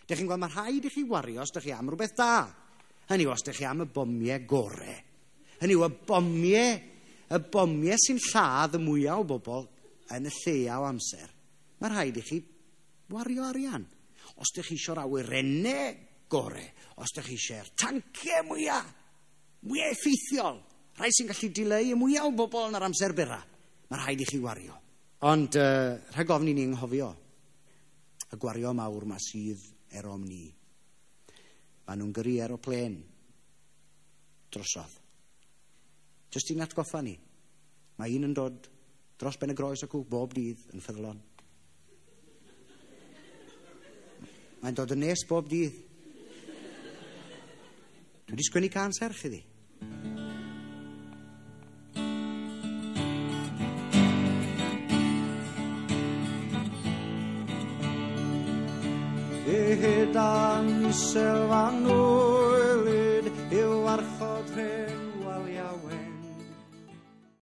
Dych chi'n gweld, mae rhaid i chi wario os dych chi am rhywbeth da. Hynny yw, os dych chi am y bomiau gore. Hynny yw, y bomiau sy'n lladd y mwyaf o bobl yn y lleia o amser. Mae rhaid i chi wario arian. Os dych chi eisiau'r awyrennau gore, os dych chi eisiau'r tanciau mwyaf, mwyaf effeithiol, rhai sy'n gallu dileu y mwyaf o bobl yn yr amser byra, mae rhaid i chi wario. Ond rhag ofn i ni anghofio y gwario mawr ma sydd erom ni. Maen nhw'n gyrru aeroplên drosodd. Jyst i'n atgoffa ni. Mae un yn dod dros ben y groes acw bob dydd yn ffyddlon. Mae'n dod yn nes bob dydd. Dwi wedi sgwennu cân serch iddi. Edan selfanol